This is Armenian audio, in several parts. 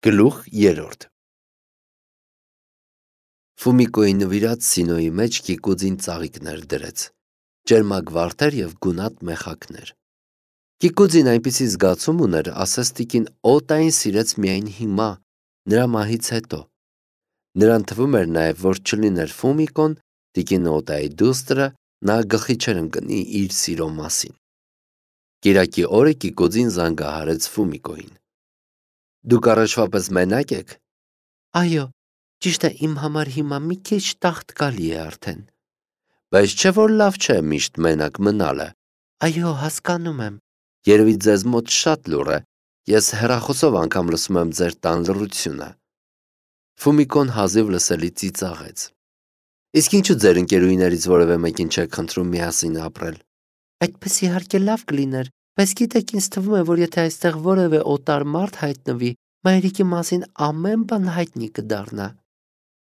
Գլուխ 3 Ֆումիկոյի նվիրած սինոյի մեջ Կիկուձին ծաղիկներ դրեց, ճերմակ վարդեր և գունատ մեխակներ: Կիկուձին այնպիսի զգացում ուներ, ասես տիկին Օտային սիրեց միայն հիմա, նրա մահից հետո: Նրան թվում էր նաև, որ չլիներ Ֆումիկոն, տիկին Օտայի դուստրը, նա գլխի չէր ընկնի իր սիրո մասին: Կիրակի օրը Կիկուձին զանգահարեց Ֆումիկոյին: Դուք առաջվա պես մենակ եք: Այո, ճիշտ է իմ համար հիմա մի քիչ տաղտկալի է արդեն: Բայց չէ՞ որ լավ չէ միշտ մենակ մնալը: Այո, հասկանում եմ: Երևի ձեզ մոտ շատ լուռ է, ես հեռախոսով անգամ լսում եմ ձեր տան լռությունը: Ֆումիկոն հազիվ լսելի ծիծաղեց: Իսկ ինչու ձեր ընկերուհիներից որևէ մեկին չեք խնդրում միասին ապրել: Այդպես իհարկե լավ կլիներ, բայց գիտեք ինձ թվում է, որ եթե այստեղ որևէ օտար մարդ հայտնվի, մայրիկի մասին ամեն բան հայտնի կդառնա: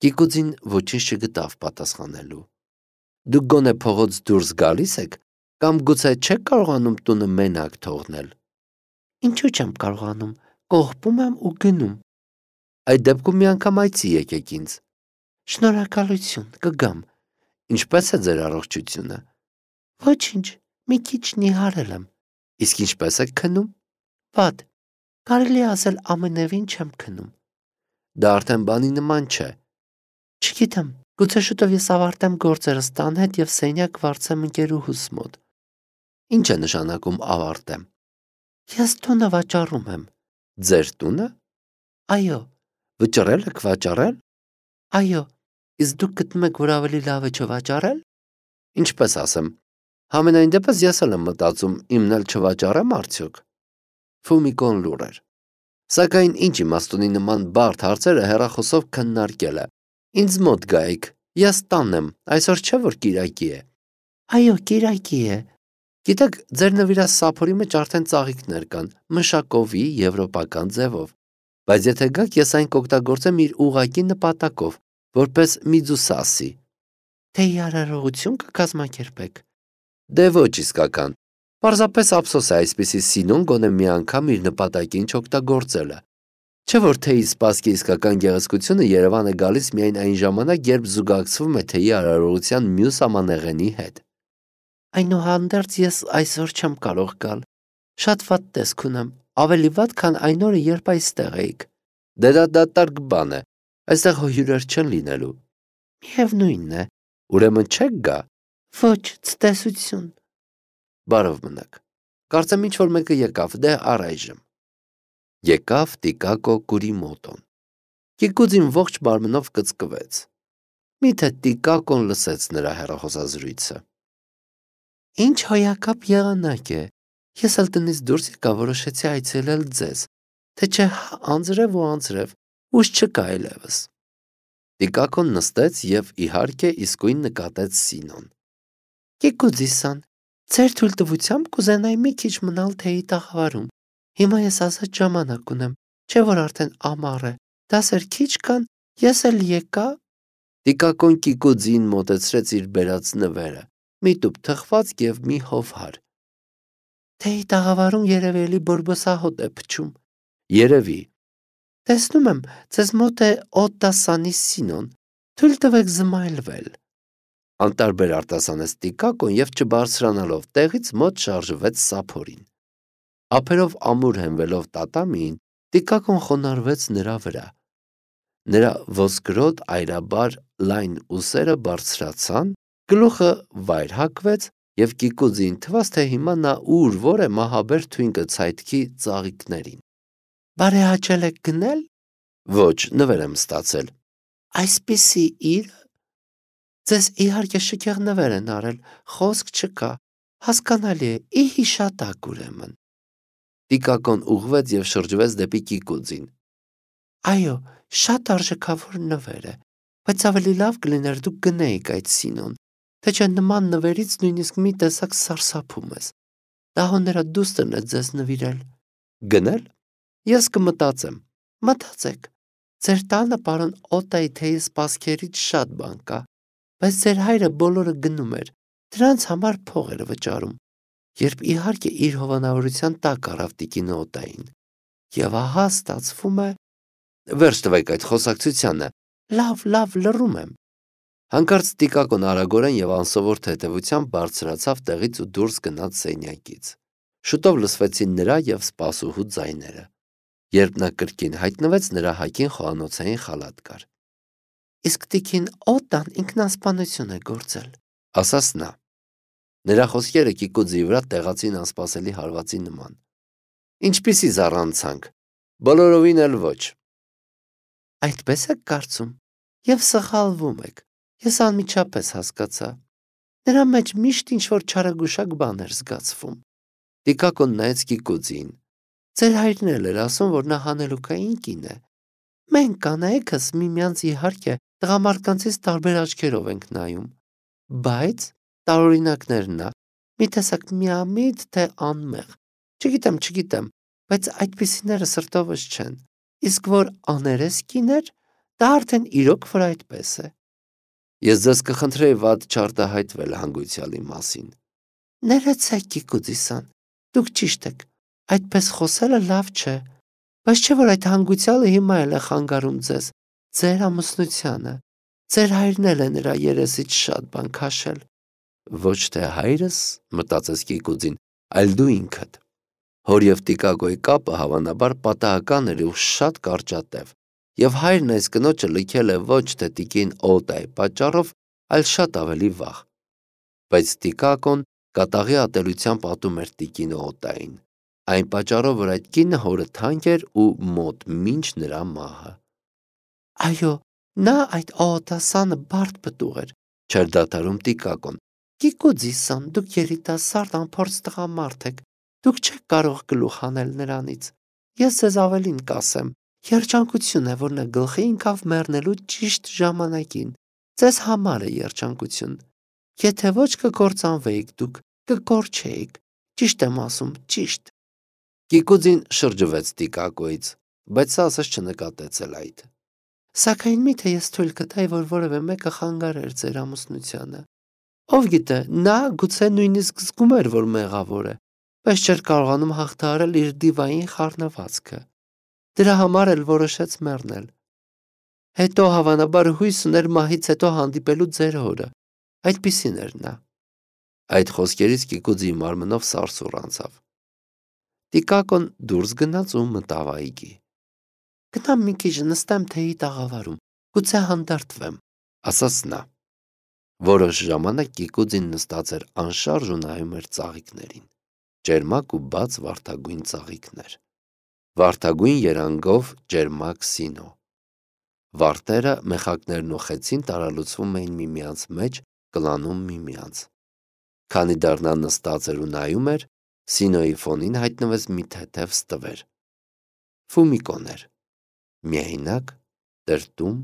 Կիկուձին ոչինչ չգտավ պատասխանելու: Դուք գոնե փողոց դուրս գալի՞ս եք, կամ գուցե չեք կարողանում տունը մենակ թողնել: Ինչու չեմ կարողանում, կողպում եմ ու գնում: Այդ դեպքում մի անգամ այցի եկեք ինձ: Շնորհակալություն, կգամ: Ինչպե՞ս է ձեր առողջությունը: Ոչինչ, մի քիչ նիհարել եմ: Իսկ ինչպե՞ս եք քնում: Վատ, կարելի է ասել ամենևին չեմ քնում: Դա արդեն բանի նման չէ: Չգիտեմ, գուցե շուտով ես ավարտեմ գործերս տան հետ և սենյակ վարձեմ ընկերուհուս մոտ: Ինչ է նշանակում ավարտեմ: Ես տունը վաճառում եմ: Ձեր տունը: Այո: Վճռել եք վաճառել: Այո: Իսկ դուք գտնում եք, որ ավելի լավ է չվաճառել: Ինչպես ասեմ, համենայն դեպս ես էլ եմ մտածում իմն էլ չվաճառեմ արդյոք: Ֆումիկոն լուռ էր: Սակայն ինչ իմաստ ունի նման բարդ հարցերը հեռախոսով քննարկելը: Ինձ մոտ գայիք, ես տանն եմ, այսօր չէ՞ որ կիրակի է: Այո, կիրակի է: Գիտեք, ձեր նվիրած սափորի մեջ արդեն ծաղիկներ կան, մշակովի, եվրոպական ձևով: Բայց եթե գաք, ես այն կօգտագործեմ իր ուղղակի նպատակով, որպես Միձուսասի: Թեյի արարողություն կկազմակերպեք: Դե ոչ իսկական: Պարզապես ափսոս է այսպիսի սինոն գոնե մի անգամ իր նպատակին չօգտագործելը: Չէ՞ որ թեյի սպասքի իսկական գեղեցկությունը Երևան է գալիս միայն այն ժամանակ, երբ զուգակցվում է թեյի արարողության մյուս ամանեղենի հետ: Այնուհանդերձ ես այսօր չեմ կարող գալ: Շատ վատ տեսք ունեմ, ավելի վատ, քան այն օրը, երբ այստեղ էիք: Դե դա դատարկ բան է, այստեղ հյուրեր չեն լինելու: Միևնույն է: Ուրեմն չե՞ք գա: Ոչ, ցտեսություն: Բարով մնաք: Կարծեմ ինչ-որ մեկը եկավ, դե առայժմ: Եկավ Տիկակո Կուրիմոտոն: Կիկուձին ողջ մարմնով կծկվեց: Միթե Տիկակոն լսեց նրա հեռախոսազրույցը: Ինչ հոյակապ եղանակ է: Ես էլ տնից դուրս եկա, որոշեցի այցելել ձեզ, թե չէ հա անձրև ու անձրև, ուժ չկա այլևս: Տիկակոն նստեց և իհարկե իսկույն նկատեց Սինոն: Կիկուձի-սան, ձեր թույլտվությամբ կուզենայի մի քիչ մնալ թեյի տաղավարում: Հիմա ես ազատ ժամանակ ունեմ, չէ՞ որ արդեն ամառ է, դասեր քիչ կան, ես էլ եկա: Տիկակոն Կիկուձիին մոտեցրեց իր բերած նվերը, մի տուփ թխվածք և մի հովհար: Թեյի տաղավարում երևի էլի բորբոսահոտ է փչում: Երևի: Տեսնում եմ, ձեզ մոտ է Օտտասանի Սինոն, թույլ տվեք զմայլվել: Անտարբեր արտասանեց Տիկակոն և չբարձրանալով տեղից մոտ շարժվեց սափորին: Ափերով ամուր հենվելով տատամիին, Տիկակոն խոնարհվեց նրա վրա: Նրա ոսկրոտ այրաբար լայն ուսերը բարձրացան, գլուխը վայր հագվեց և Կիկուձիին թվաց, թե հիմա նա ուր-որ է մահաբեր թույն կցայթքի ծաղիկներին: Բարեհաճել եք գնել: Ոչ, նվեր եմ ստացել: Այսպիսի իրը: Ձեզ իհարկե շքեղ նվեր են արել, խոսք չկա: Հասկանալի է, ի հիշատակ ուրեմն: Տիկակոն ուղղվեց և շրջվեց դեպի Կիկուձին: Այո, շատ արժեքավոր նվեր է, բայց ավելի լավ կլիներ դուք գնեիք այդ Սինոն, թե չէ նման նվերից նույնիսկ մի տեսակ սարսափում ես: Դա հո նրա դուստրն է ձեզ նվիրել: Գնել: Ես կմտածեմ: Մտածեք: Ձեր տանը պարոն Օտայի թեյի սպասքերից շատ բան կա: Բայց ձեր հայրը բոլորը գնում էր, դրանց համար փող էր վճարում, երբ իհարկե իր հովանավորության տակ առավ տիկին Օտային: Եվ ահա ստացվում է, Վերջ տվեք այդ խոսակցությանը։ Լավ, լռում եմ։ Հանկարծ Տիկակոն արագորեն եւ անսովոր թեթևությամբ բարձրացավ տեղից ու դուրս գնաց սենյակից։ Շուտով լսվեցին նրա եւ սպասուհու ձայները։ Երբ նա կրկին հայտնվեց, նրա հագին խոհանոցային խալաթ կար։ Իսկ տիկին Օտան ինքնասպանություն է գործել, ասաց նա։ Նրա խոսքերը Կիկուձի վրա տեղացին անսպասելի հարվածի նման։ Ինչպիսի զառանցանք, բոլորովին էլ ոչ։ Այդպես եք կարծում, եւ սխալվում եք, ես անմիջապես հասկացա, նրա մեջ միշտ ինչ-որ չարագուշակ բան էր զգացվում։ Տիկակոն նայեց Կիկուձին, ձեր հայրն էլ էր ասում, որ նա հանելուկային կին է։ Մենք կանայքս միմյանց իհարկե տղամարդկանցից տարբեր աչքերով ենք նայում, բայց տարօրինակներն ա, մի տեսակ միամիտ թե անմեղ, չգիտեմ, բայց այդպիսիները սրտովս չեն, իսկ որ աներես կիներ, դա արդեն իրոք որ այդպես է։ Ես ձեզ կխնդրեի վատ չարտահայտվել հանգույցյալի մասին։ Ներեցեք Կիկուձիսան, դուք ճիշտ եք, այդպես խոսելը լավ չէ, բայց չէ որ այդ հանգույցյալը հիմա էլ է խանգարում ձեզ, ձեր ամուսնությանը, ձեր հայրն էլ է նրա երեսից շատ բան քաշել։ Ոչ թե հայրս, մտածեց Կիկուձին, այլ դու ինքդ։ Հոր եւ Տիկակոյի կապը հավանաբար պատահական էր ու շատ կարճատև, եւ հայրն այս կնոջը լքել է ոչ թե տիկին Օտայի պատճառով, այլ շատ ավելի վաղ։ Բայց Տիկակոն կատաղի ատելությամբ ատում էր տիկին Օտային, այն պատճառով, որ այդ կինը հորը թանկ էր ու մոտ մինչ նրա մահը։ Այո, նա այդ Օտասանը բարդ պտուղ էր, չէր դադարում Տիկակոն։ Կիկուձիսան, դուք երիտասարդ անփորձ տղամարդ եք, դուք չեք կարող գլուխ հանել նրանից։ Ես ձեզ ավելին կասեմ, երջանկություն է, որ նա գլխի ընկավ մեռնելու ճիշտ ժամանակին։ Ձեզ համար է երջանկություն։ Եթե ոչ կկործանվեիք դուք, կկորչեիք։ Ճիշտ եմ ասում, ճիշտ։ Կիկուձին շրջվեց Տիկակոյից, բայց սա ասես չնկատեց էլ այդ։ Սակայն միթե ես թույլ կտայի, որ որևէ մեկը խանգարեր ձեր ամուսնությանը։ Ով գիտե, նա գուցե նույնիսկ զգում էր, որ մեղավոր է, բայց չէր կարողանում հաղթահարել իր դիվային խառնվածքը։ Դրա համար էլ որոշեց մեռնել։ Հետո հավանաբար հույս ուներ մահից հետո հանդիպելու ձեր հորը։ Այդպիսին էր նա։ Այդ խոսքերից Կիկուձի մարմնով սարսուռ անցավ։ Տիկակոն դուրս գնաց ու մտավ այգի։ Գնամ մի քիչ նստեմ թեյի տաղավարում, գուցե հանդարտվեմ, ասաց նա։ Որոշ ժամանակ Կիկուձին նստած էր անշարժ ու նայում էր ծաղիկներին, ճերմակ ու բաց վարդագույն ծաղիկներ, վարդագույն երանգով ճերմակ սինո։ Վարդերը, մեխակներն ու խեցին տարալուծվում էին միմյանց մեջ, կլանում միմյանց։ Քանի դեռ նա նստած էր ու նայում էր, սինոյի ֆոնին հայտնվեց մի թեթև ստվեր։ Ֆումիկոն էր, միայնակ, տրտում,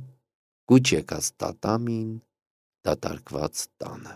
կուչ եկած տատամին, դատարկված տանը։